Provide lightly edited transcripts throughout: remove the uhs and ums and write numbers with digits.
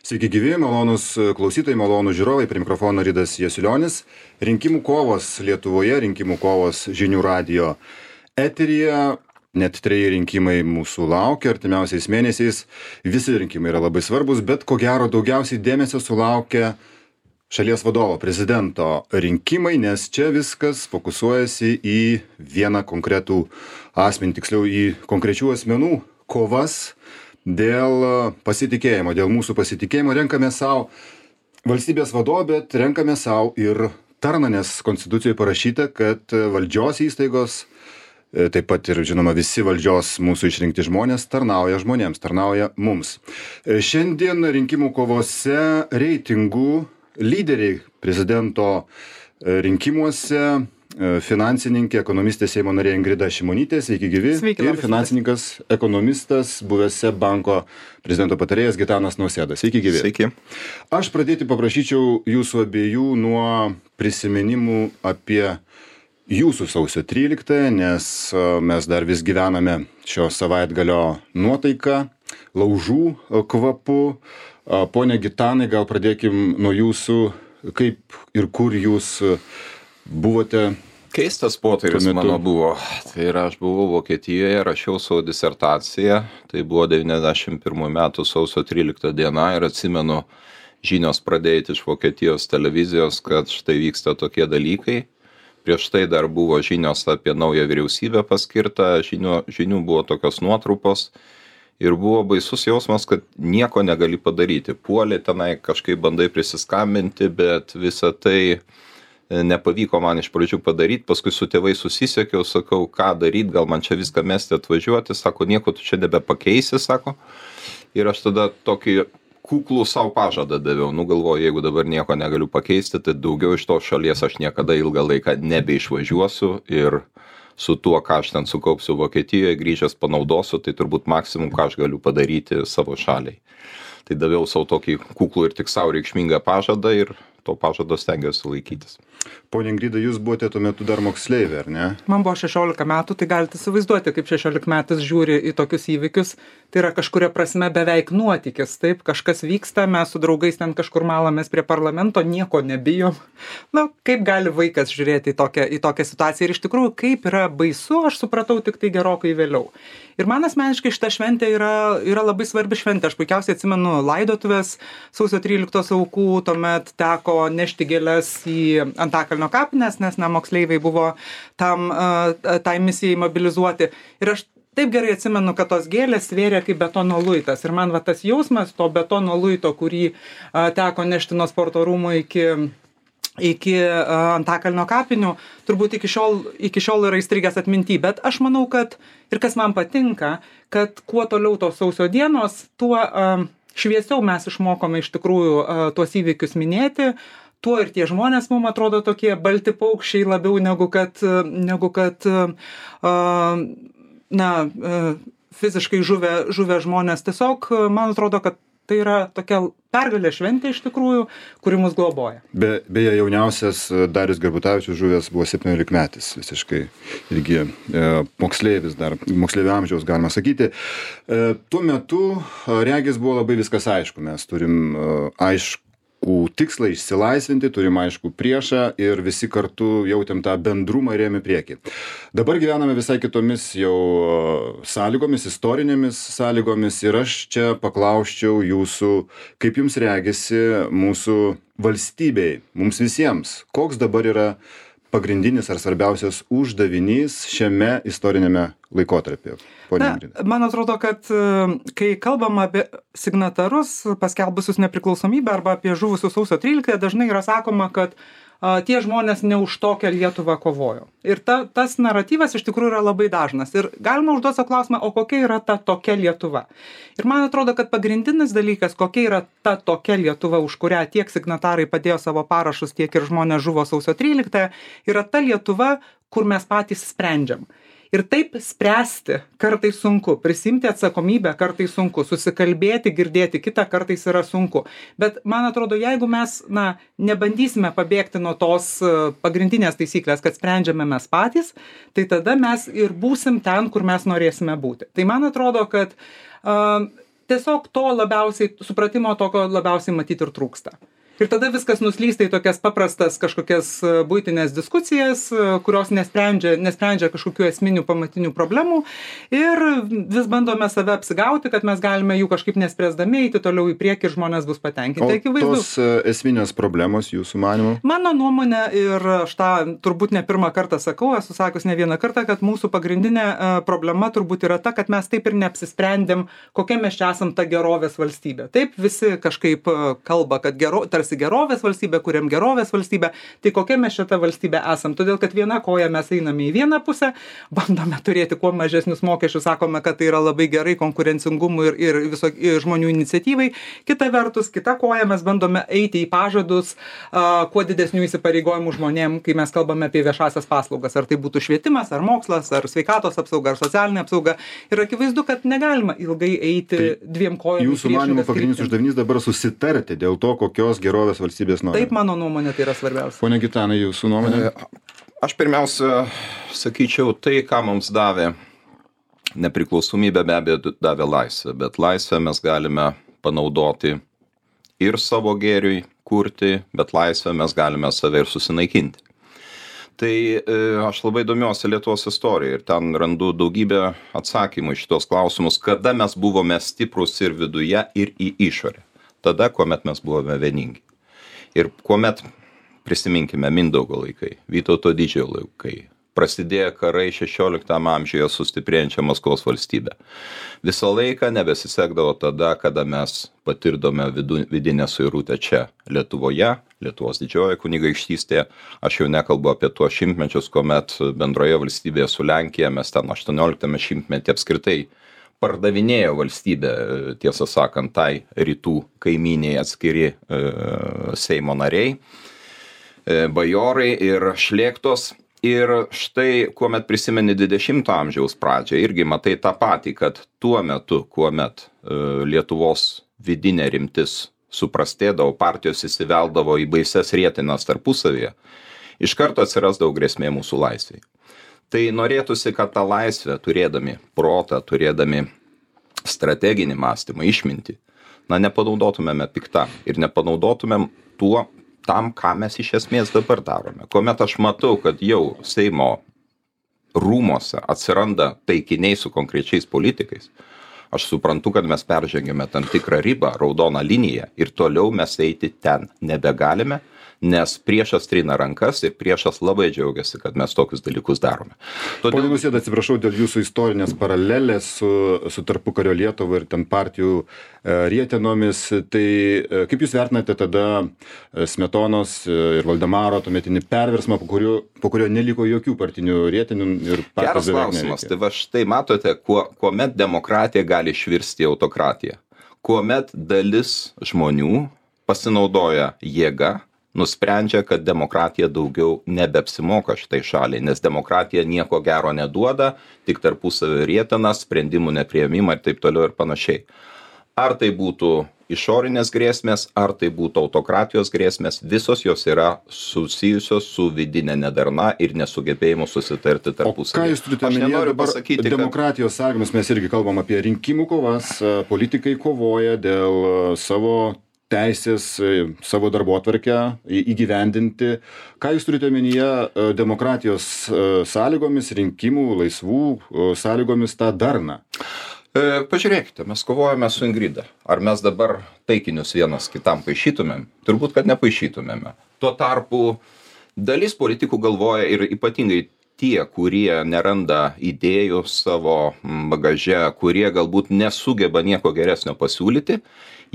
Sveiki gyvi, malonus klausytojai, malonus žiūrovai, prie mikrofono Ridas Jasilionis. Rinkimų kovos Lietuvoje, rinkimų kovos Žinių radijo eteryje. Net 3 rinkimai mūsų laukia artimiausiais mėnesiais. Visi rinkimai yra labai svarbus, bet ko gero daugiausiai dėmesio sulaukia šalies vadovo, prezidento rinkimai, nes čia viskas fokusuojasi į vieną konkretų asmenį, tiksliau į konkrečių asmenų kovas dėl pasitikėjimo, dėl mūsų pasitikėjimo. Renkame savo valstybės vadovą, bet renkame savo ir tarną, nes Konstitucijoje parašyta, kad valdžios įstaigos, taip pat ir, žinoma, visi valdžios mūsų išrinkti žmonės tarnauja žmonėms, tarnauja mums. Šiandien rinkimų kovose reitingų lyderiai prezidento rinkimuose finansininkė, ekonomistė Seimo narė Ingrida Šimonytė, sveiki gyvi. Sveiki, ir finansininkas, ekonomistas, buvęs SEB banko prezidento patarėjas Gitanas Nausėda. Sveiki gyvi. Sveiki. Aš pradėti paprašyčiau jūsų abiejų nuo prisiminimų apie jūsų sausio 13, nes mes dar vis gyvename šio savaitgalio nuotaiką, laužų kvapu. Pone Gitanai, gal pradėkim nuo jūsų, kaip ir kur jūs buvote. Keistas potyris mano buvo. Tai yra, aš buvau Vokietijoje, rašiau savo disertaciją. Tai buvo 91 metų sausio 13 diena ir atsimenu, žinios pradėti iš Vokietijos televizijos, kad štai vyksta tokie dalykai. Prieš tai dar buvo žinios apie naują vyriausybę paskirtą, žinių buvo tokios nuotrupos. Ir buvo baisus jausmas, kad nieko negali padaryti. Puolė tenai, kažkaip bandai prisiskambinti, bet visą tai nepavyko man iš pradžių padaryti. Paskui su tėvai susisiekiau, sakau, ką daryti, gal man čia viską mesti atvažiuoti. Sako, nieko tu čia nebepakeisi, sako. Ir aš tada tokį kuklų savo pažadą daviau. Galvoju, jeigu dabar nieko negaliu pakeisti, tai daugiau iš tos šalies aš niekada ilgą laiką nebeišvažiuosiu ir su tuo, ką aš ten sukaupsiu Vokietijoje, grįžęs panaudosiu, tai turbūt maksimum, ką aš galiu padaryti savo šaliai. Tai daviau savo tokį kuklų ir tik savo reikšmingą pažadą ir to pažado stengiuosi laikytis. Pone Ingrida, jūs buvote tuo metu dar moksleivė, ar ne? Man buvo 16 metų, tai galite įsivaizduoti, kaip 16 metais žiūri į tokius įvykius. Tai yra kažkuria prasme beveik nuotykis, taip, kažkas vyksta, mes su draugais ten kažkur malamės prie parlamento, nieko nebijom. Kaip gali vaikas žiūrėti į tokią situaciją ir iš tikrųjų, kaip yra baisu, aš supratau tik tai gerokai vėliau. Ir man asmeniškai šita šventė yra labai svarbi šventė. Aš puikiausiai atsimenu laidotuvės sausio 13 aukų, tuomet teko nešti gėles į Antakalnio kapines, nes moksleiviai buvo tai misijai mobilizuoti. Ir aš taip gerai atsimenu, kad tos gėlės svėrė kaip betono luitas. Ir man tas jausmas to betono luito, kurį teko nešti nuo sporto rūmų iki Antakalnio kapinių, turbūt iki šiol yra įstrigęs atminty. Bet aš manau, kad ir kas man patinka, kad kuo toliau tos sausio dienos, tuo šviesiau mes išmokome iš tikrųjų tuos įvykius minėti, tuo ir tie žmonės mums atrodo tokie balti paukščiai labiau negu kad fiziškai žuvę žmonės. Tiesiog man atrodo, kad tai yra tokia pergalė šventė iš tikrųjų, kuri mus globoja. Beje, jauniausias Darius Gerbutavičius žuvęs buvo 17-metis, visiškai irgi moksleivis dar, moksleivio amžiaus galima sakyti. Tuo metu regis buvo labai viskas aišku, mes turim aišku tikslą išsilaisvinti, turim aišku priešą ir visi kartu jautėm tą bendrumą ir ėjom į priekį. Dabar gyvename visai kitomis jau sąlygomis, istorinėmis sąlygomis ir aš čia paklausčiau jūsų, kaip jums regisi mūsų valstybei, mums visiems, koks dabar yra pagrindinis ar svarbiausias uždavinys šiame istorinėme laikotarpyje? Man atrodo, kad kai kalbam apie signatarus paskelbusius nepriklausomybę arba apie žuvusius sausio 13, dažnai yra sakoma, kad tie žmonės ne už tokią Lietuvą kovojo. Ir tas naratyvas iš tikrųjų yra labai dažnas. Ir galima užduoti savo klausimą, o kokia yra ta tokia Lietuva? Ir man atrodo, kad pagrindinis dalykas, kokia yra ta tokia Lietuva, už kurią tiek signatarai padėjo savo parašus, tiek ir žmonės žuvo sausio 13, yra ta Lietuva, kur mes patys sprendžiam. Ir taip spręsti kartais sunku, prisimti atsakomybę kartais sunku, susikalbėti, girdėti kitą kartais yra sunku. Bet man atrodo, jeigu mes nebandysime pabėgti nuo tos pagrindinės taisyklės, kad sprendžiame mes patys, tai tada mes ir būsim ten, kur mes norėsime būti. Tai man atrodo, kad tiesiog to labiausiai, supratimo tokio labiausiai matyti ir trūksta. Ir tada viskas nuslysta į tokias paprastas kažkokias buitinės diskusijas, kurios nesprendžia kažkokių esminių pamatinių problemų ir vis bandome save apsigauti, kad mes galime jų kažkaip nespręsdami eiti toliau į priekį ir žmonės bus patenkinti. O tos esminės problemos jūsų manymu? Mano nuomonė, ir aš tą turbūt ne pirmą kartą sakau, esu sakius ne vieną kartą, kad mūsų pagrindinė problema turbūt yra ta, kad mes taip ir neapsisprendėm, kokia mes čia esam ta gerovės valstybė. Taip visi kažkaip kalba, kad tarsi gerovės valstybė, kuriam gerovės valstybė, tai kokia mes šitą valstybę esam. Todėl, kad viena koja mes einame į vieną pusę, bandome turėti kuo mažesnius mokesčius, sakome, kad tai yra labai gerai konkurencingumui ir žmonių iniciatyvai. Kita vertus, kita koja mes bandome eiti į pažadus kuo didesnių įsipareigojimų žmonėm, kai mes kalbame apie viešasias paslaugas. Ar tai būtų švietimas, ar mokslas, ar sveikatos apsauga, ar socialinė apsauga. Ir akivaizdu, kad negalima ilgai eiti dviem kojomis. Jūsų manimo pagrindinis uždavinys dabar susitarti dėl to, kokios gerovės valstybės nori. Taip, mano nuomonė, tai yra svarbiausia. Pone Gitanai, jūsų nuomonė? Aš pirmiausia sakyčiau, tai, ką mums davė nepriklausomybė, be abejo davė laisvę, bet laisvę mes galime panaudoti ir savo gėriui kurti, bet laisvę mes galime save ir susinaikinti. Tai aš labai domiuosi Lietuvos istoriją ir ten randu daugybę atsakymų į šitos klausimus, kada mes buvome stiprus ir viduje, ir į išorę. Tada, kuomet mes buvome vieningi. Ir kuomet, prisiminkime, Mindaugo laikai, Vytauto Didžiojo laikai, prasidėjo karai 16 amžiuje su stiprėjančia Maskvos valstybe. Visą laiką nebesisekdavo tada, kada mes patirdome vidinę suirutę čia Lietuvoje, Lietuvos didžiojoje kunigaikštystėje. Aš jau nekalbu apie tuos šimtmečius, kuomet bendroje valstybėje su Lenkija mes ten 18 šimtmetį apskritai pardavinėjo valstybę, tiesą sakant, tai rytų kaimyniai atskiri Seimo nariai, bajorai ir šlėktos. Ir štai, kuomet prisimeni 20 amžiaus pradžią, irgi matai tą patį, kad tuo metu, kuomet Lietuvos vidinė rimtis suprastėdavo, partijos įsiveldavo į baises rietinas tarpusavyje, iš karto atsirasdavo grėsmė mūsų laisvei. Tai norėtųsi, kad tą laisvę, turėdami protą, turėdami strateginį mąstymą, išmintį, nepanaudotumėme piktam ir nepanaudotumėm tam, ką mes iš esmės dabar darome. Kuomet aš matau, kad jau Seimo rūmose atsiranda taikiniai su konkrečiais politikais, aš suprantu, kad mes peržengėme tam tikrą ribą, raudoną liniją ir toliau mes eiti ten nebegalime, nes priešas trina rankas ir priešas labai džiaugiasi, kad mes tokius dalykus darome. Pone Nausėda, atsiprašau dėl jūsų istorinės paralelės su tarpukario Lietuva ir ten partijų rietenomis. Tai kaip jūs vertinate tada Smetonos ir Valdemaro tuometinį perversmą, po kurio neliko jokių partinių rietenų ir partijos beveik neveikė? Geras klausimas. Tai va štai matote, kuomet demokratija gali išvirsti į autokratiją. Kuomet dalis žmonių pasinaudoja jėga, nusprendžia, kad demokratija daugiau nebeapsimoka šitai šaliai, nes demokratija nieko gero neduoda, tik tarpusavio rietenas, sprendimų nepriėmimą ir taip toliau ir panašiai. Ar tai būtų išorinės grėsmės, ar tai būtų autokratijos grėsmės, visos jos yra susijusios su vidinė nedarna ir nesugebėjimu susitarti tarpusavį. O ką jūs turite omenyje dabar demokratijos sąlygomis? Mes irgi kalbam apie rinkimų kovas, politikai kovoja dėl savo teisės, savo darbotvarkę įgyvendinti. Ką jūs turite omenyje demokratijos sąlygomis, rinkimų, laisvų sąlygomis tą darną? Pažiūrėkite, mes kovojame su Ingrida. Ar mes dabar taikinius vienas kitam paišytumėm? Turbūt, kad nepaišytumėme. Tuo tarpu dalis politikų galvoja ir ypatingai tie, kurie neranda idėjų savo bagaže, kurie galbūt nesugeba nieko geresnio pasiūlyti,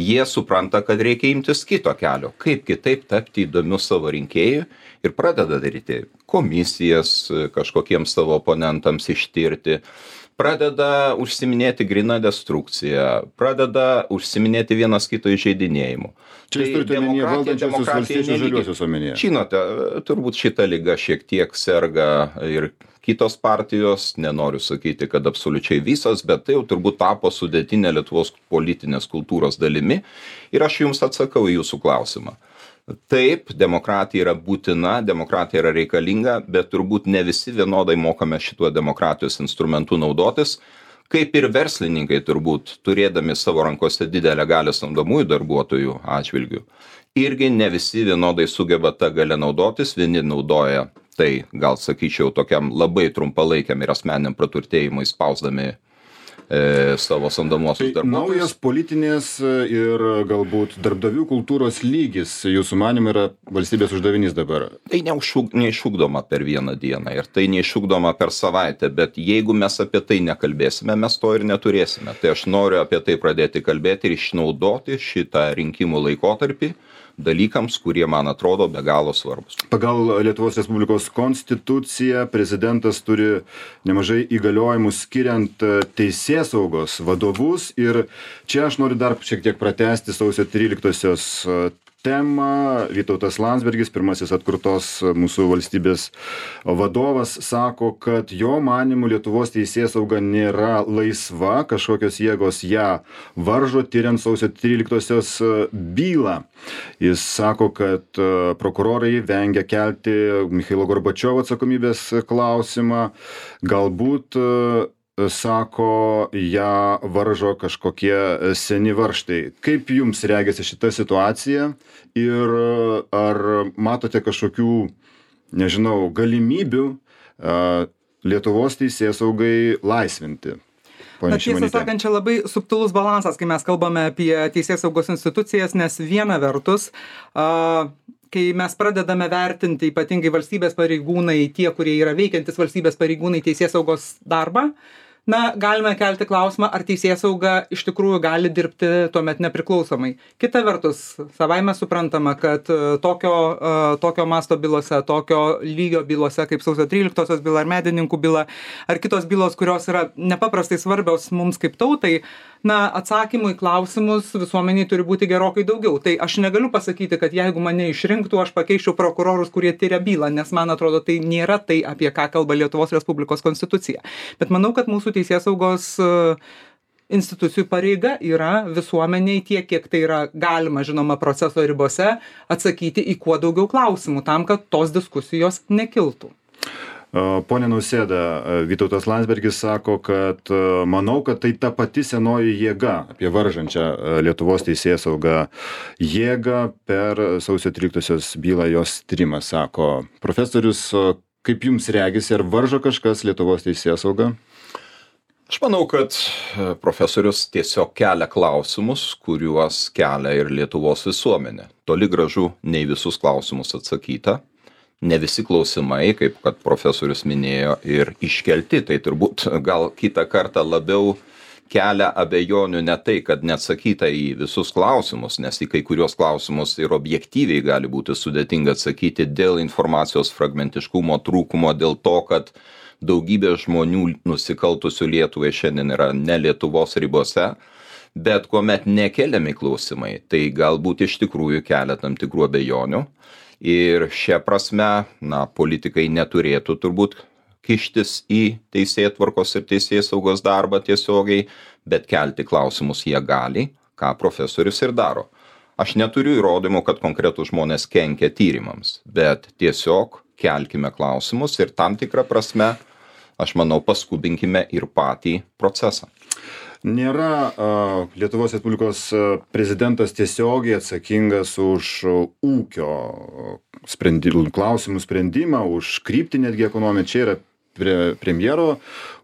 jie supranta, kad reikia imtis kito kelio, kaip kitaip tapti įdomiu savo rinkėjui ir pradeda daryti komisijas kažkokiems savo oponentams ištirti, pradeda užsiminėti gryną destrukciją, pradeda užsiminėti vienas kito įžeidinėjimu. Čia jūs turite omenyje valdančiosios valstiečių žaliuosius omenyje. Žinote, turbūt šita liga šiek tiek serga ir kitos partijos, nenoriu sakyti, kad absoliučiai visos, bet tai jau turbūt tapo sudėtinė Lietuvos politinės kultūros dalimi. Ir aš jums atsakau į jūsų klausimą. Taip, demokratija yra būtina, demokratija yra reikalinga, bet turbūt ne visi vienodai mokame šituo demokratijos instrumentu naudotis. kaip ir verslininkai turbūt, turėdami savo rankose didelę galią samdomųjų darbuotojų atžvilgių, irgi ne visi vienodai sugeba tą galę naudotis, vieni naudoja tai, gal sakyčiau, tokiam labai trumpalaikiam ir asmeniniam praturtėjimui spausdami savo samdomuosius darbuotojus. Naujas politinės ir galbūt darbdavių kultūros lygis, jūsų manymu, yra valstybės uždavinys dabar? Tai neišugdoma per vieną dieną ir tai neišugdoma per savaitę, bet jeigu mes apie tai nekalbėsime, mes to ir neturėsime. Tai aš noriu apie tai pradėti kalbėti ir išnaudoti šitą rinkimų laikotarpį dalykams, kurie man atrodo be galo svarbus. Pagal Lietuvos Respublikos konstituciją prezidentas turi nemažai įgaliojimų skiriant teisėsaugos vadovus ir čia aš noriu dar šiek tiek pratęsti sausio 13-osios temą. Vytautas Landsbergis, pirmasis atkurtos mūsų valstybės vadovas, sako, kad jo manymu Lietuvos teisėsauga nėra laisva, kažkokios jėgos ją varžo, tyriant sausio 13-osios bylą. Jis sako, kad prokurorai vengia kelti Michailo Gorbačiovo atsakomybės klausimą, galbūt sako, ją varžo kažkokie seni varžtai. Kaip jums regėsi šita situacija ir ar matote kažkokių, nežinau, galimybių Lietuvos teisėsaugai laisvinti? Na, tiesą sakant, čia labai subtilus balansas, kai mes kalbame apie teisėsaugos institucijas, nes viena vertus, kai mes pradedame vertinti ypatingai valstybės pareigūnai, tie, kurie yra veikiantis valstybės pareigūnai teisėsaugos darbą, na, galime kelti klausimą, ar teisėsauga iš tikrųjų gali dirbti tuomet nepriklausomai. Kita vertus, savaime suprantama, kad tokio masto bylose, tokio lygio bylose, kaip sausio 13-osios byla ar medininkų byla, ar kitos bylos, kurios yra nepaprastai svarbios mums kaip tautai, na, atsakymų į klausimus visuomeniai turi būti gerokai daugiau. Tai aš negaliu pasakyti, kad jeigu mane išrinktų, aš pakeičiau prokurorus, kurie tyria bylą, nes man atrodo, tai nėra tai, apie ką kalba Lietuvos Respublikos konstitucija. Bet manau, kad mūsų teisėsaugos institucijų pareiga yra visuomeniai tiek, kiek tai yra galima, žinoma, proceso ribose, atsakyti į kuo daugiau klausimų, tam, kad tos diskusijos nekiltų. Pone Nausėda, Vytautas Landsbergis sako, kad manau, kad tai ta pati senoji jėga, apie varžančią Lietuvos teisėsaugą jėgą per sausio 13-osios bylą jos tyrimą, sako. Profesorius, kaip jums regisi, ar varžo kažkas Lietuvos teisėsaugą? Aš manau, kad profesorius tiesiog kelia klausimus, kuriuos kelia ir Lietuvos visuomenė. Toli gražu nei visus klausimus atsakyta. Ne visi klausimai, kaip kad profesorius minėjo, ir iškelti, tai turbūt gal kitą kartą labiau kelia abejonių ne tai, kad neatsakyta į visus klausimus, nes į kai kurios klausimus ir objektyviai gali būti sudėtinga atsakyti dėl informacijos fragmentiškumo trūkumo, dėl to, kad daugybė žmonių nusikaltusių Lietuvai šiandien yra ne Lietuvos ribose, bet kuomet nekeliami klausimai, tai galbūt iš tikrųjų kelia tam tikrų abejonių. Ir šia prasme, na, politikai neturėtų turbūt kištis į teisėtvarkos ir teisėsaugos darbą tiesiogiai, bet kelti klausimus jie gali, ką profesorius ir daro. Aš neturiu įrodymų, kad konkretų žmonės kenkia tyrimams, bet tiesiog kelkime klausimus ir tam tikrą prasme, aš manau, paskubinkime ir patį procesą. Nėra Lietuvos Respublikos prezidentas tiesiogiai atsakingas už ūkio klausimų sprendimą, už kryptį netgi ekonominę. Čia yra premjero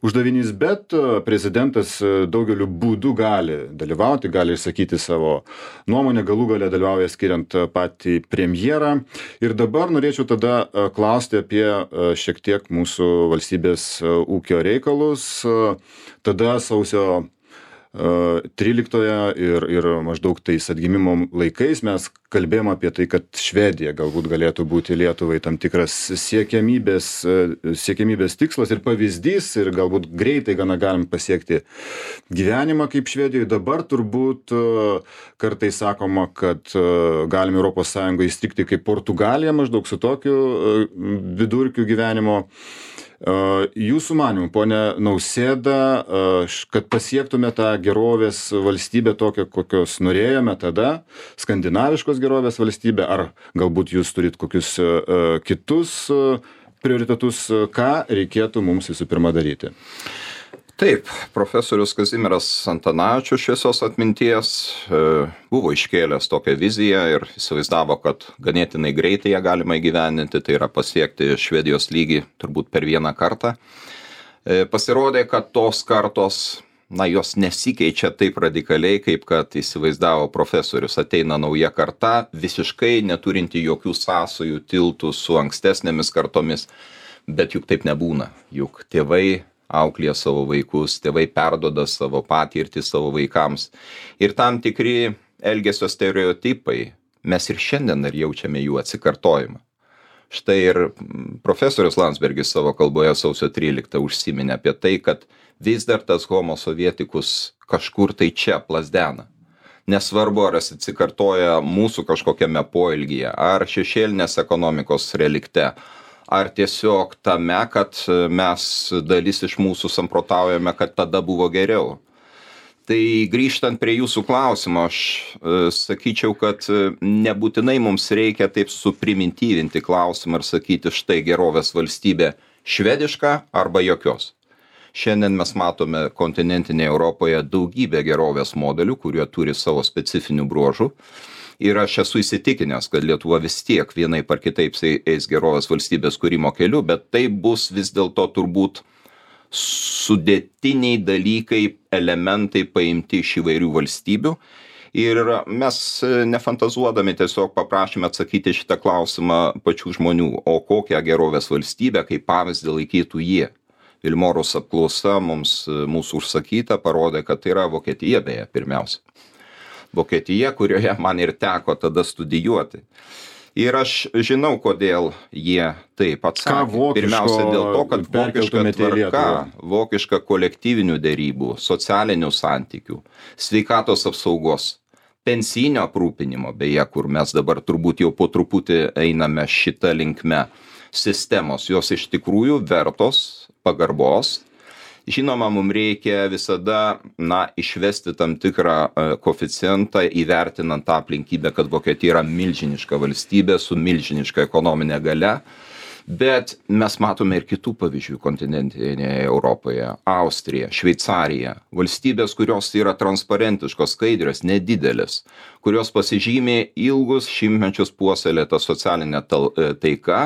uždavinys, bet prezidentas daugeliu būdų gali dalyvauti, gali išsakyti savo nuomonę, galų gale dalyvauja skiriant patį premjerą. Ir dabar norėčiau tada klausti apie šiek tiek mūsų valstybės ūkio reikalus. Tada sausio 13 ir maždaug tais atgimimo laikais mes kalbėjom apie tai, kad Švedija galbūt galėtų būti Lietuvai tam tikras siekiamybės tikslas ir pavyzdys ir galbūt greitai gana galim pasiekti gyvenimą kaip Švedijoje. Dabar turbūt kartais sakoma, kad galim Europos Sąjungoje įstrigti kaip Portugalija maždaug su tokiu vidurkiu gyvenimo. Jūsų manymų, pone Nausėda, kad pasiektume tą gerovės valstybę tokią, kokios norėjome tada, skandinaviškos gerovės valstybę, ar galbūt jūs turit kokius kitus prioritetus, ką reikėtų mums visų pirma daryti? Taip, profesorius Kazimieras Antanavičius šviesios atminties buvo iškėlęs tokią viziją ir įsivaizdavo, kad ganėtinai greitai ją galima įgyvendinti, tai yra pasiekti Švedijos lygį turbūt per vieną kartą. Pasirodė, kad tos kartos, jos nesikeičia taip radikaliai, kaip kad įsivaizdavo profesorius. Ateina nauja karta, visiškai neturinti jokių sąsajų, tiltų su ankstesnėmis kartomis, bet juk taip nebūna. Juk tėvai auklėja savo vaikus, tėvai perduoda savo patirtį savo vaikams. Ir tam tikri elgesio stereotipai, mes ir šiandien dar jaučiame jų atsikartojimą. Štai ir profesorius Landsbergis savo kalboje sausio 13 užsiminė apie tai, kad vis dar tas homo sovietikus kažkur tai čia plazdena. Nesvarbu, ar jis atsikartoja mūsų kažkokiame poelgyje, ar šešėlinės ekonomikos relikte, ar tiesiog tame, kad mes dalis iš mūsų samprotaujame, kad tada buvo geriau. Tai grįžtant prie jūsų klausimo, aš sakyčiau, kad nebūtinai mums reikia taip suprimityvinti klausimą ir sakyti, štai gerovės valstybė švediška arba jokios. Šiandien mes matome kontinentinėje Europoje daugybę gerovės modelių, kurie turi savo specifinių bruožų. Ir aš esu įsitikinęs, kad Lietuva vis tiek vienaip ar kitaip eis gerovės valstybės kūrimo keliu, bet tai bus vis dėlto turbūt sudėtiniai dalykai, elementai paimti iš įvairių valstybių. Ir mes nefantazuodami tiesiog paprašėme atsakyti šitą klausimą pačių žmonių, o kokią gerovės valstybę kaip pavyzdį laikytų jie. Vilmorus apklausa mūsų užsakyta parodė, kad tai yra Vokietija beje pirmiausia. Vokietija, kurioje man ir teko tada studijuoti. Ir aš žinau, kodėl jie taip atsakė. Pirmiausia dėl to, kad vokiška tvarka, vokiška kolektyvinių derybų, socialinių santykių, sveikatos apsaugos, pensinio aprūpinimo, beje, kur mes dabar turbūt jau po truputį einame šitą linkme, sistemos, jos iš tikrųjų vertos pagarbos. Žinoma, mums reikia visada išvesti tam tikrą koeficientą, įvertinant tą aplinkybę, kad Vokietija yra milžiniška valstybė su milžiniška ekonominė galia, bet mes matome ir kitų pavyzdžių kontinentinėje Europoje. Austrija, Šveicarija, valstybės, kurios yra transparentiškos, skaidrios, nedidelės, kurios pasižymė ilgus šimtmečius puoselėtą socialinę taiką.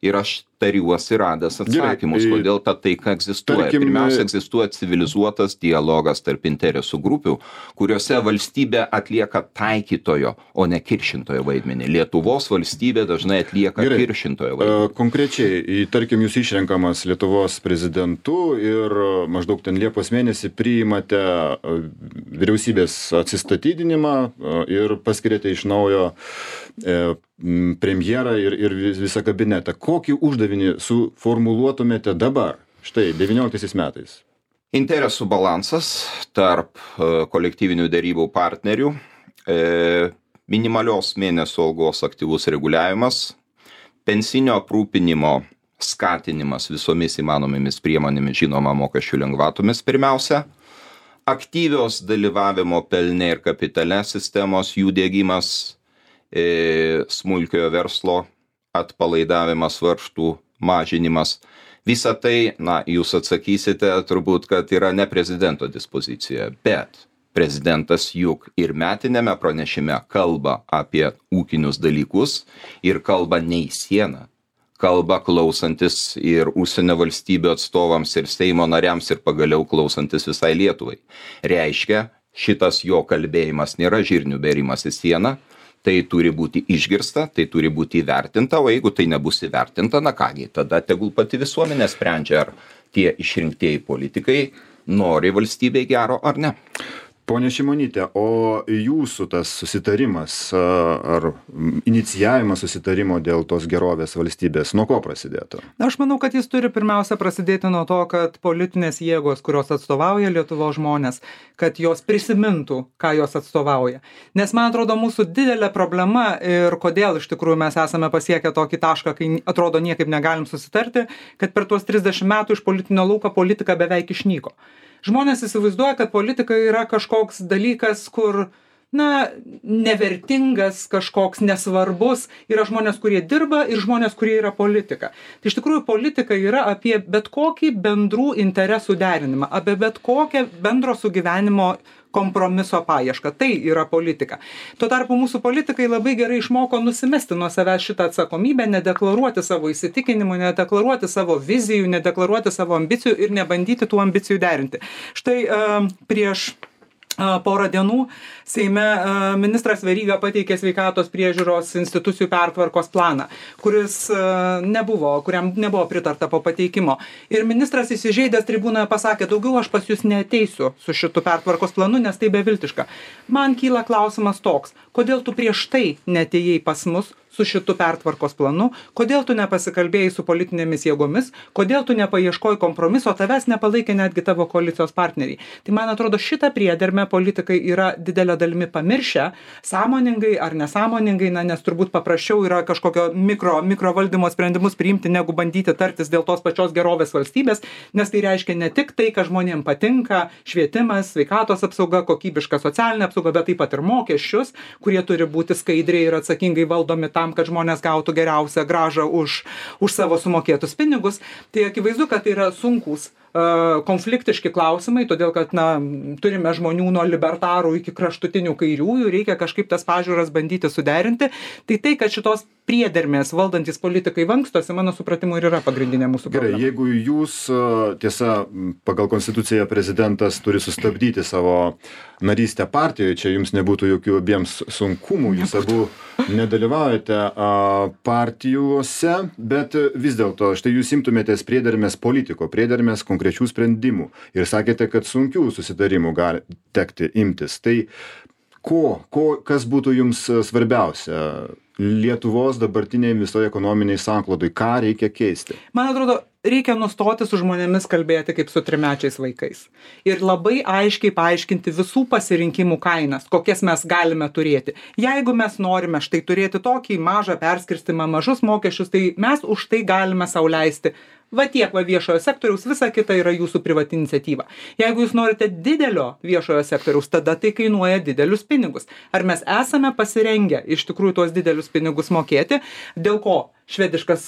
Ir aš tariuosi radęs atsakymus, kodėl ta taika egzistuoja. Pirmiausia, egzistuoja civilizuotas dialogas tarp interesų grupių, kuriuose valstybė atlieka taikytojo, o ne kiršintojo vaidmenį. Lietuvos valstybė dažnai atlieka kiršintojo vaidmenį. Konkrečiai, tarkim, jūs išrenkamas Lietuvos prezidentu ir maždaug ten Liepos mėnesį priimate vyriausybės atsistatydinimą ir paskiriate iš naujo premjerą ir visą kabinetą. Kokį uždavinį suformuluotumėte dabar, štai 19 metais? Interesų balansas tarp kolektyvinių derybų partnerių, minimalios mėnesio algos aktyvus reguliavimas, pensinio aprūpinimo skatinimas visomis įmanomomis priemonėmis, žinoma, mokesčių lengvatomis pirmiausia, aktyvios dalyvavimo pelne ir kapitale sistemos, jų diegimas, smulkiojo verslo atpalaidavimas, varžtų mažinimas. Visa tai, jūs atsakysite turbūt, kad yra ne prezidento dispozicija, bet prezidentas juk ir metinėme pranešime kalba apie ūkinius dalykus ir kalba ne į sieną. Kalba klausantis ir užsienio valstybių atstovams ir Seimo nariams ir pagaliau klausantis visai Lietuvai. Reiškia, šitas jo kalbėjimas nėra žirnių bėrimas į sieną. Tai turi būti išgirsta, tai turi būti įvertinta, o jeigu tai nebus įvertinta, kągi, tada tegul pati visuomenė sprendžia, ar tie išrinktieji politikai nori valstybei gero ar ne. Pone Šimonyte, o jūsų tas susitarimas ar inicijavimas susitarimo dėl tos gerovės valstybės, nuo ko prasidėtų? Aš manau, kad jis turi pirmiausia prasidėti nuo to, kad politinės jėgos, kurios atstovauja Lietuvos žmonės, kad jos prisimintų, ką jos atstovauja. Nes man atrodo, mūsų didelė problema ir kodėl iš tikrųjų mes esame pasiekę tokį tašką, kai atrodo niekaip negalim susitarti, kad per tuos 30 metų iš politinio lauko politika beveik išnyko. Žmonės įsivaizduoja, kad politika yra kažkoks dalykas, kur nevertingas, kažkoks nesvarbus. Yra žmonės, kurie dirba ir žmonės, kurie yra politika. Tai iš tikrųjų politika yra apie bet kokį bendrų interesų derinimą, apie bet kokią bendro sugyvenimo kompromiso paiešką. Tai yra politika. Tuo tarpu mūsų politikai labai gerai išmoko nusimesti nuo savęs šitą atsakomybę, nedeklaruoti savo įsitikinimų, nedeklaruoti savo vizijų, nedeklaruoti savo ambicijų ir nebandyti tų ambicijų derinti. Štai prieš porą dienų Seime ministras Veryga pateikė sveikatos priežiūros institucijų pertvarkos planą, kuriam nebuvo pritarta po pateikimo. Ir ministras įsižeidęs tribūnoje pasakė, daugiau aš pas jūs neateisiu su šitu pertvarkos planu, nes tai beviltiška. Man kyla klausimas toks, kodėl tu prieš tai neatėjai pas mus su šitu pertvarkos planu, kodėl tu nepasikalbėjai su politinėmis jėgomis, kodėl tu nepaieškojai kompromiso, tavęs nepalaikė netgi tavo koalicijos partneriai. Tai man atrodo, šitą priedermę politikai yra didelė dalimi pamiršę, sąmoningai ar nesąmoningai, nes turbūt paprasčiau yra kažkokio mikro valdymo sprendimus priimti, negu bandyti tartis dėl tos pačios gerovės valstybės, nes tai reiškia ne tik tai, kad žmonėms patinka, švietimas, sveikatos apsauga, kokybiška socialinė apsauga, bet taip pat ir mokesčius, kurie turi būti skaidriai ir atsakingai valdomi tam, kad žmonės gautų geriausią grąžą už savo sumokėtus pinigus. Tai akivaizdu, kad tai yra sunkus konfliktiški klausimai, todėl kad turime žmonių nuo libertarų iki kraštutinių kairiųjų, reikia kažkaip tas pažiūras bandyti suderinti. Tai, kad šitos priedermės valdantis politikai vankstosi, mano supratimu, ir yra pagrindinė mūsų problema. Gerai, jeigu jūs, tiesa, pagal konstituciją prezidentas turi sustabdyti savo narystę partijoje, čia jums nebūtų jokių abiems sunkumų, jūs abu nedalyvaujate partijose, bet vis dėlto, štai jūs imtumėtės priedermės politiko, priedermės konkrečių sprendimų ir sakėte, kad sunkių susitarimų gali tekti imtis. Tai kas būtų jums svarbiausia Lietuvos dabartiniai visoje ekonominiai sanklodai, ką reikia keisti? Man atrodo, reikia nustoti su žmonėmis kalbėti kaip su trimečiais vaikais. Ir labai aiškiai paaiškinti visų pasirinkimų kainas, kokias mes galime turėti. Jeigu mes norime štai turėti tokį mažą perskirstimą, mažus mokesčius, tai mes už tai galime sau leisti. Va tiek viešojo sektoriaus, visa kita yra jūsų privati iniciatyva. Jeigu jūs norite didelio viešojo sektoriaus, tada tai kainuoja didelius pinigus. Ar mes esame pasirengę iš tikrųjų tuos didelius pinigus mokėti, dėl ko švediškas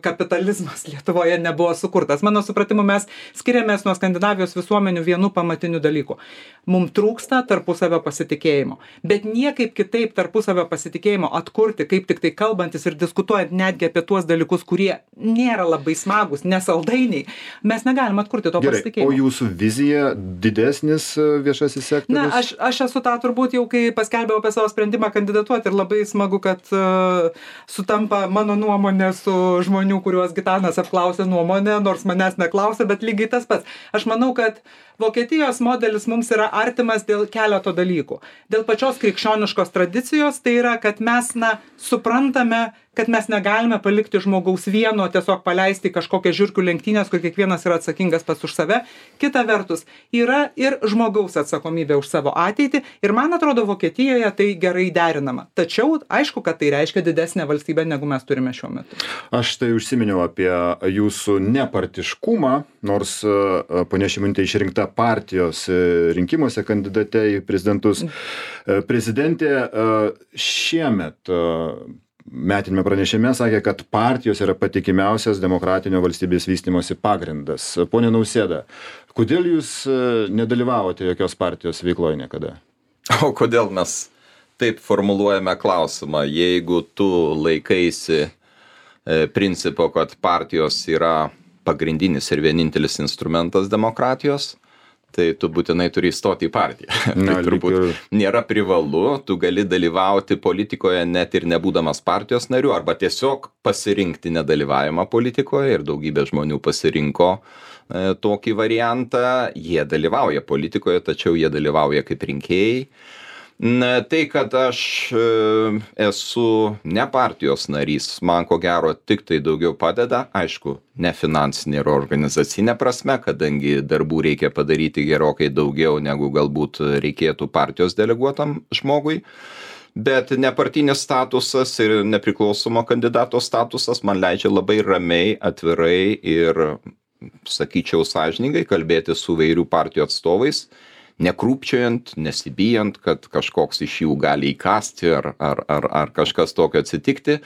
kapitalizmas Lietuvoje nebuvo sukurtas? Mano supratimu, mes skiriamės nuo Skandinavijos visuomenių vienu pamatiniu dalyku. Mums trūksta tarpusavio pasitikėjimo. Bet niekaip kitaip tarpusavio pasitikėjimo atkurti, kaip tik tai kalbantis ir diskutuojant netgi apie tuos dalykus, kurie nėra labai smagus, nesaldainiai, mes negalim atkurti to pasitikėjimo. O jūsų vizija didesnis viešasis sektorius? Aš esu tą turbūt jau, kai paskelbėjau apie savo sprendimą kandidatuoti, ir labai smagu, kad sutampa mano nuomonė su žmonių, kuriuos Gitanas apklausė nuomonę, nors manęs neklausė, bet lygiai tas pats. Aš manau, kad Vokietijos modelis mums yra artimas dėl keleto dalykų. Dėl pačios krikščioniškos tradicijos, tai yra, kad mes suprantame, kad mes negalime palikti žmogaus vieno, tiesiog paleisti kažkokią žiurkių lenktynės, kur kiekvienas yra atsakingas pats už save. Kita vertus, yra ir žmogaus atsakomybė už savo ateitį, ir man atrodo, Vokietijoje tai gerai derinama. Tačiau, aišku, kad tai reiškia didesnę valstybę, negu mes turime šiuo metu. Aš tai užsiminiau apie jūsų nepartiškumą, nors ponia Šimonytė išrinkta partijos rinkimuose kandidate į prezidentus. Prezidentė šiemet metinėme pranešime sakė, kad partijos yra patikimiausias demokratinio valstybės vystymosi pagrindas. Pone Nausėda, kodėl jūs nedalyvavote jokios partijos veikloje niekada? O kodėl mes taip formuluojame klausimą? Jeigu tu laikaisi principo, kad partijos yra pagrindinis ir vienintelis instrumentas demokratijos, tai tu būtinai turi įstoti į partiją. Tai turbūt nėra privalu, tu gali dalyvauti politikoje net ir nebūdamas partijos nariu, arba tiesiog pasirinkti nedalyvavimą politikoje, ir daugybė žmonių pasirinko tokį variantą. Jie dalyvauja politikoje, tačiau jie dalyvauja kaip rinkėjai. Tai, kad aš esu ne partijos narys, man ko gero tik tai daugiau padeda, aišku, ne finansinė ir organizacinė prasme, kadangi darbų reikia padaryti gerokai daugiau, negu galbūt reikėtų partijos deleguotam žmogui. Bet nepartinis statusas ir nepriklausomo kandidato statusas man leidžia labai ramiai, atvirai ir, sakyčiau, sąžiningai kalbėti su įvairių partijų atstovais, nekrūpčiojant, nesibijant, kad kažkoks iš jų gali įkasti ar kažkas tokio atsitikti.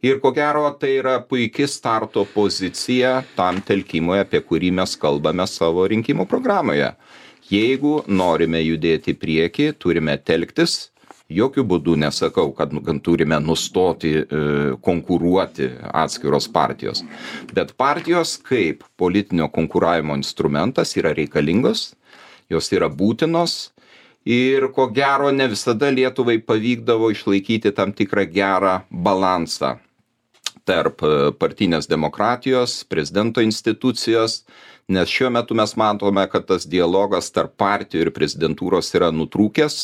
Ir ko gero, tai yra puikia starto pozicija tam telkimui, apie kurį mes kalbame savo rinkimų programoje. Jeigu norime judėti į priekį, turime telktis. Jokių būdų nesakau, kad turime nustoti konkuruoti atskiros partijos. Bet partijos kaip politinio konkuravimo instrumentas yra reikalingos, jos yra būtinos. Ir ko gero ne visada Lietuvai pavykdavo išlaikyti tam tikrą gerą balansą tarp partinės demokratijos, prezidento institucijos, nes šiuo metu mes matome, kad tas dialogas tarp partijų ir prezidentūros yra nutrūkęs,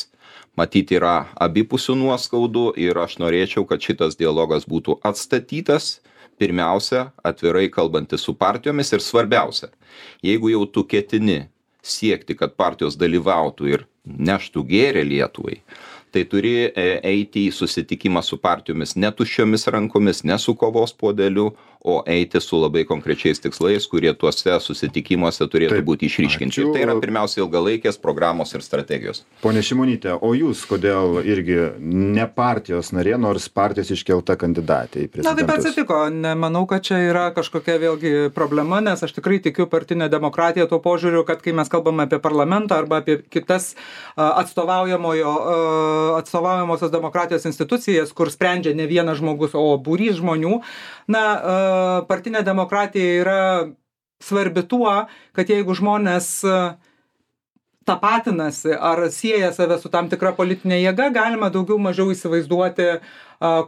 matyti yra abipusių nuoskaudų ir aš norėčiau, kad šitas dialogas būtų atstatytas, pirmiausia, atvirai kalbantis su partijomis ir svarbiausia, jeigu jau tu ketini siekti, kad partijos dalyvautų ir neštų gėrį Lietuvai, tai turi eiti į susitikimą su partijomis ne tuščiomis rankomis, ne su kovos puodeliu, o eiti su labai konkrečiais tikslais, kurie tuose susitikimuose turėtų būti išryškinti. Ir tai yra pirmiausia ilgalaikės programos ir strategijos. Pone Šimonyte, o jūs kodėl irgi ne partijos narė, nors partijos iškelta kandidatė į prezidentus? Na, taip atsitiko. Nemanau, kad čia yra kažkokia vėlgi problema, nes aš tikrai tikiu partinę demokratiją tuo požiūriu, kad kai mes kalbame apie parlamentą arba apie kitas atstovaujamosios demokratijos institucijas, kur sprendžia ne vienas žmogus, o būrys žmonių, na, partinė demokratija yra svarbi tuo, kad jeigu žmonės tapatinasi ar sieja save su tam tikra politinė jėga, galima daugiau mažiau įsivaizduoti,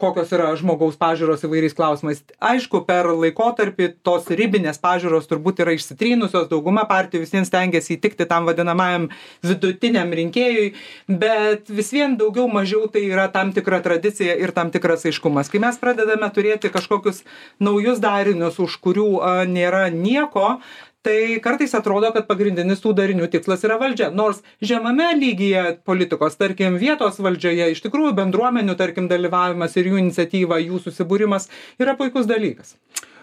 kokios yra žmogaus pažiūros įvairiais klausimais. Aišku, per laikotarpį tos ribinės pažiūros turbūt yra išsitrynusios, dauguma partijų visiems stengiasi įtikti tam vadinamajam vidutiniam rinkėjui, bet vis vien daugiau mažiau tai yra tam tikra tradicija ir tam tikras aiškumas. Kai mes pradedame turėti kažkokius naujus darinius, už kurių nėra nieko, tai kartais atrodo, kad pagrindinis tų darinių tikslas yra valdžia. Nors žemame lygyje politikos, tarkim, vietos valdžioje, iš tikrųjų bendruomenių, tarkim, dalyvavimas ir jų iniciatyva, jų susibūrimas yra puikus dalykas.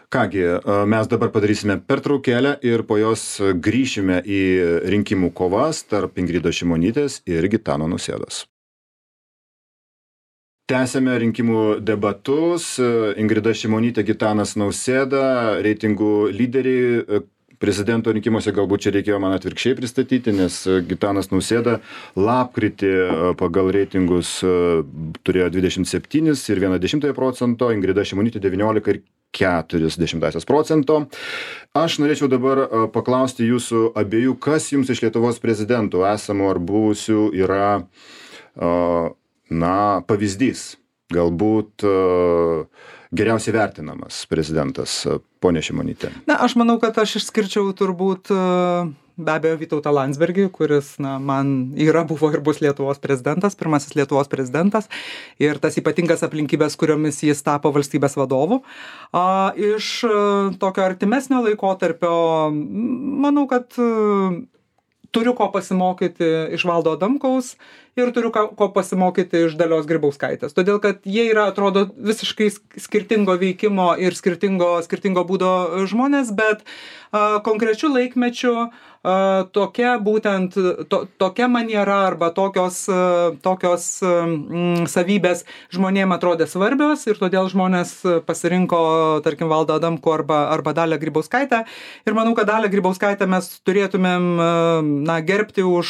Kągi, mes dabar padarysime pertraukėlę ir po jos grįšime į rinkimų kovas tarp Ingridos Šimonytės ir Gitano Nausėdos. Tęsėme rinkimų debatus. Ingrida Šimonytė, Gitanas Nausėda, reitingų lyderiai. Prezidento rinkimuose galbūt čia reikėjo man atvirkščiai pristatyti, nes Gitanas Nausėda lapkritį pagal reitingus turėjo 27 ir 0,1%, Ingrida Šimonytė 19,4%. Aš norėčiau dabar paklausti jūsų abiejų, kas jums iš Lietuvos prezidentų esamų ar buvusių yra pavyzdys, galbūt geriausiai vertinamas prezidentas, ponė Šimonytė? Na, aš manau, kad aš išskirčiau turbūt be abejo Vytautą Landsbergį, kuris, man buvo ir bus Lietuvos prezidentas, pirmasis Lietuvos prezidentas, ir tas ypatingas aplinkybės, kuriomis jis tapo valstybės vadovu. Iš tokio artimesnio laikotarpio, manau, kad turiu ko pasimokyti iš Valdo Adamkaus ir turiu ko pasimokyti iš Dalios Grybauskaitės. Todėl, kad jie yra, atrodo, visiškai skirtingo veikimo ir skirtingo būdo žmonės, bet konkrečiu laikmečiu tokia maniera arba tokios savybės žmonėm atrodė svarbios ir todėl žmonės pasirinko, tarkim, Valdą Adamkų arba Dalią Grybauskaitę. Ir manau, kad Dalią Grybauskaitę mes turėtumėm gerbti už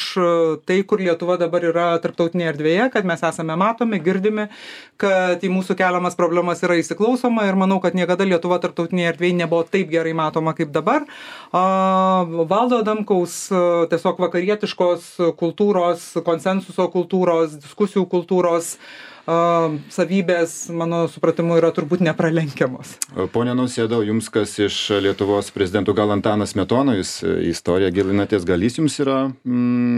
tai, kur Lietuva dabar yra tarptautinėje erdvėje, kad mes esame matomi, girdimi, kad į mūsų keliamas problemas yra įsiklausoma ir manau, kad niekada Lietuva tarptautinėje erdvėje nebuvo taip gerai matoma kaip dabar. Valdo Adamkaus tiesiog vakarietiškos kultūros, konsensuso kultūros, diskusijų kultūros savybės, mano supratimu, yra turbūt nepralenkiamos. Pone Nausėda, jums kas iš Lietuvos prezidentų, gal Antanas Smetona, jūs į istoriją gilinatės, gal jis jums yra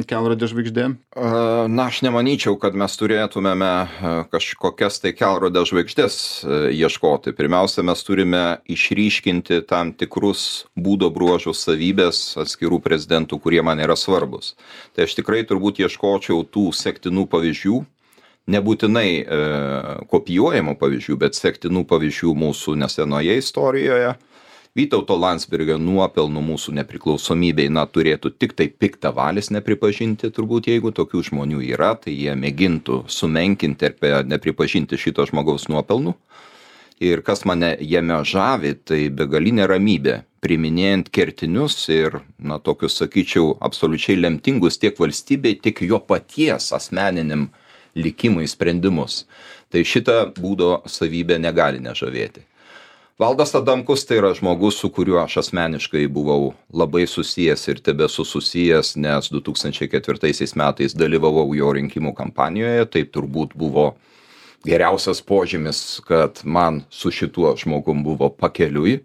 kelrodė žvaigždė? Na, aš nemanyčiau, kad mes turėtumėme kažkokias tai kelrodė žvaigždės ieškoti. Pirmiausia, mes turime išryškinti tam tikrus būdo bruožus, savybės atskirų prezidentų, kurie man yra svarbus. Tai aš tikrai turbūt ieškočiau tų sektinų pavyzdžių, nebūtinai kopijuojamų pavyzdžių, bet sektinų pavyzdžių mūsų nesenoje istorijoje. Vytauto Landsbergio nuopelnų mūsų nepriklausomybei, turėtų tik tai piktavalis nepripažinti, turbūt jeigu tokių žmonių yra, tai jie mėgintų sumenkinti ir nepripažinti šito žmogaus nuopelnų. Ir kas mane jame žavi, tai begalinė ramybė, priiminėjant kertinius ir, tokius, sakyčiau, absoliučiai lemtingus tiek valstybei, tiek jo paties asmeniniam likimui sprendimus. Tai šitą būdo savybę negali nežavėti. Valdas Adamkus tai yra žmogus, su kuriuo aš asmeniškai buvau labai susijęs ir tebesu susijęs, nes 2004 metais dalyvavau jo rinkimų kampanijoje, tai turbūt buvo geriausias požymis, kad man su šituo žmogum buvo pakeliui.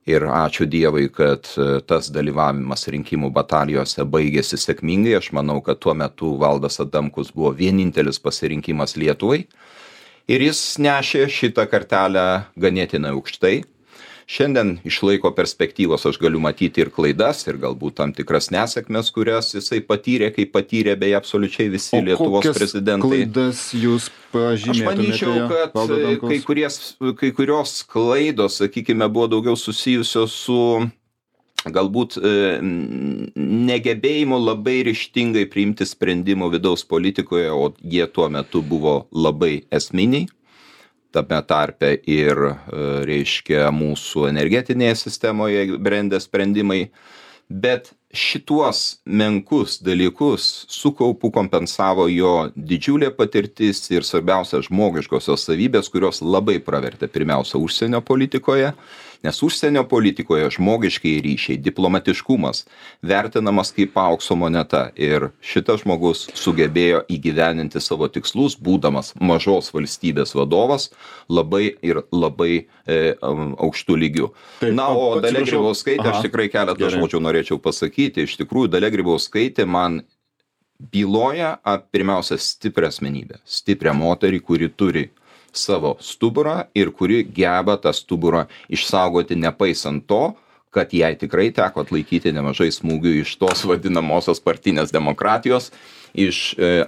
Ir ačiū Dievui, kad tas dalyvavimas rinkimų batalijose baigėsi sėkmingai. Aš manau, kad tuo metu Valdas Adamkus buvo vienintelis pasirinkimas Lietuvai. Ir jis nešė šitą kartelę ganėtinai aukštai. Šiandien iš laiko perspektyvos aš galiu matyti ir klaidas, ir galbūt tam tikras nesėkmes, kurias jisai patyrė, kaip patyrė beje absoliučiai visi Lietuvos prezidentai. Klaidas jūs pažymėtumėte? Aš manyčiau, kad kai kurios klaidos, sakykime, buvo daugiau susijusios su galbūt negebėjimu labai ryžtingai priimti sprendimų vidaus politikoje, o jie tuo metu buvo labai esminiai. Tame tarpe ir, reiškia, mūsų energetinėje sistemoje brendę sprendimai. Bet šituos menkus dalykus su kaupu kompensavo jo didžiulė patirtis ir svarbiausia žmogiškosios savybės, kurios labai pravertė pirmiausia užsienio politikoje, nes užsienio politikoje žmogiškiai ryšiai, diplomatiškumas vertinamas kaip aukso moneta ir šitas žmogus sugebėjo įgyveninti savo tikslus, būdamas mažos valstybės vadovas labai aukštų lygių. O Dalia Grybauskaitė, aš tikrai keletą žodžių norėčiau pasakyti. Iš tikrųjų, Dalia Grybauskaitė man byloja pirmiausia stiprią asmenybę, stiprią moterį, kuri turi savo stuburą ir kuri geba tą stuburą išsaugoti nepaisant to, kad jai tikrai teko atlaikyti nemažai smūgių iš tos vadinamosios partinės demokratijos,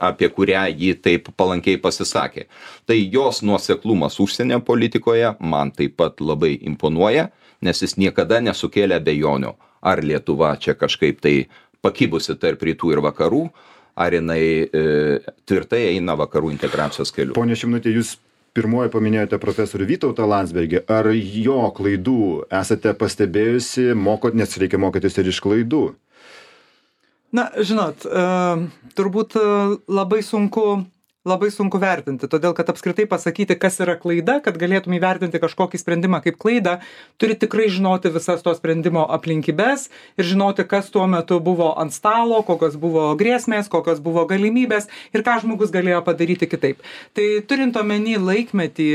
apie kurią ji taip palankiai pasisakė. Tai jos nuoseklumas užsienio politikoje man taip pat labai imponuoja, nes jis niekada nesukėlė abejonių, ar Lietuva čia kažkaip tai pakibusi tarp rytų ir vakarų, ar jinai tvirtai eina vakarų integracijos keliu. Pone Šimnutė, jūs pirmoji paminėjote profesorių Vytautą Landsbergį. Ar jo klaidų esate pastebėjusi, nes reikia mokytis ir iš klaidų? Žinot, turbūt labai sunku vertinti, todėl kad apskritai pasakyti, kas yra klaida, kad galėtum įvertinti kažkokį sprendimą kaip klaidą, turi tikrai žinoti visas to sprendimo aplinkybės ir žinoti, kas tuo metu buvo ant stalo, kokios buvo grėsmės, kokios buvo galimybės ir ką žmogus galėjo padaryti kitaip. Tai turint omeny laikmetį,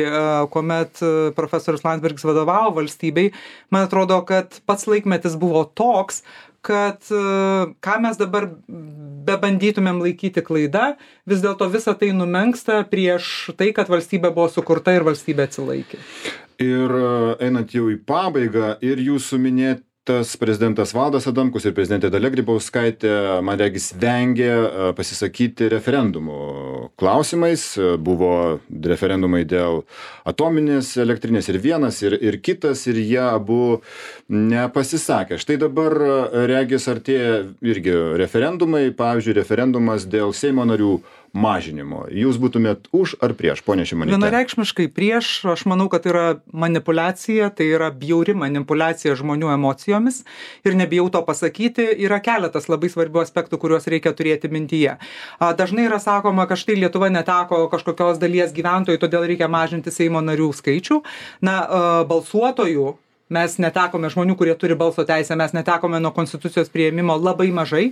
kuomet profesorius Landsbergis vadovavo valstybei, man atrodo, kad pats laikmetis buvo toks, kad ką mes dabar bebandytumėm laikyti klaida, vis dėlto visa tai numenksta prieš tai, kad valstybė buvo sukurta ir valstybė atsilaikė. Ir einant jau į pabaigą, ir jūsų minėtas prezidentas Valdas Adamkus ir prezidentė Dalia Grybauskaitė, man regis, vengė pasisakyti referendumų klausimais. Buvo referendumai dėl atominės elektrinės ir vienas, ir kitas, ir jie abu nepasisakė. Štai dabar regis artėja irgi referendumai, pavyzdžiui, referendumas dėl Seimo narių mažinimo. Jūs būtumėt už ar prieš, ponia Šimonytė? Vienareikšmiškai prieš. Aš manau, kad tai yra manipuliacija, tai yra bjauri manipuliacija žmonių emocijomis ir nebijau to pasakyti. Yra keletas labai svarbių aspektų, kuriuos reikia turėti mintyje. Dažnai yra sakoma, kad štai Lietuva neteko kažkokios dalies gyventojų, todėl reikia mažinti Seimo narių skaičių. Balsuotojų mes netekome, žmonių, kurie turi balso teisę, mes netekome nuo konstitucijos priėmimo labai mažai.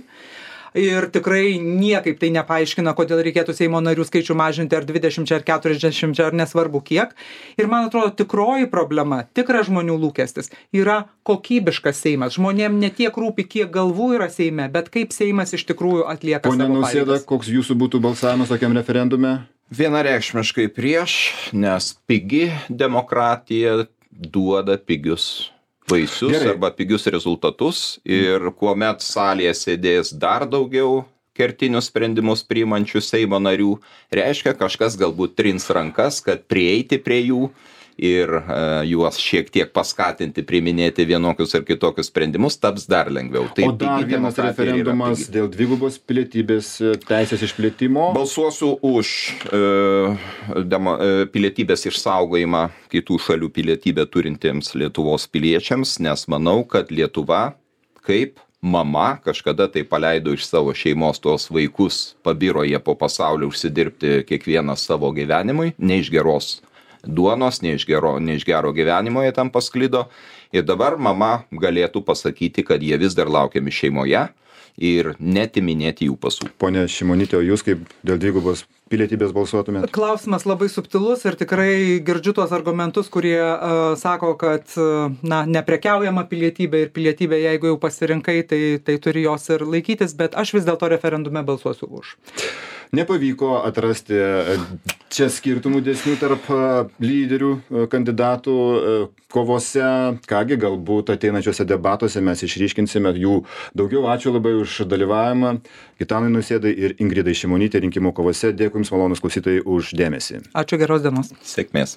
Ir tikrai niekaip tai nepaaiškina, kodėl reikėtų Seimo narių skaičių mažinti ar 20 ar 40 ar nesvarbu kiek. Ir man atrodo, tikroji problema, tikras žmonių lūkestis yra kokybiškas Seimas. Žmonėm ne tiek rūpi, kiek galvų yra Seime, bet kaip Seimas iš tikrųjų atlieka savo pareigas. Pone Nausėda, koks jūsų būtų balsavimas tokiam referendume? Vienareikšmiškai prieš, nes pigi demokratija duoda pigius vaisius. Gerai. Arba pigius rezultatus ir kuomet salėje sėdės dar daugiau kertinius sprendimus priimančių Seimo narių, reiškia kažkas galbūt trins rankas, kad prieiti prie jų ir juos šiek tiek paskatinti priiminėti vienokius ar kitokius sprendimus, taps dar lengviau. O dar vienas referendumas dėl dvigubos pilietybės teisės išplėtimo. Balsuosiu už pilietybės išsaugojimą kitų šalių pilietybę turintiems Lietuvos piliečiams, nes manau, kad Lietuva kaip mama kažkada tai paleido iš savo šeimos tuos vaikus, pabiro jie po pasaulį užsidirbti kiekvienas savo gyvenimui, ne iš geros duonos, ne iš gero gyvenimo jie tam pasklido. Ir dabar mama galėtų pasakyti, kad jie vis dar laukiami šeimoje ir netiminėti jų pasų. Pone Šimonyte, o jūs kaip dėl dvigubos pilietybės balsuotumėt? Klausimas labai subtilus ir tikrai girdžiu tuos argumentus, kurie sako, kad neprekiaujama pilietybė ir pilietybė, jeigu jau pasirinkai, tai turi jos ir laikytis, bet aš vis dėlto referendume balsuosiu už. Nepavyko atrasti čia skirtumų dėsnių tarp lyderių, kandidatų kovose. Kągi, galbūt ateinančiuose debatuose mes išryškinsime jų daugiau. Ačiū labai už dalyvavimą. Gitanui Nausėdai ir Ingridai Šimonytei rinkimų kovose. Dėkui Jums, malonūs klausytojai, už dėmesį. Ačiū, geros dienos. Sėkmės.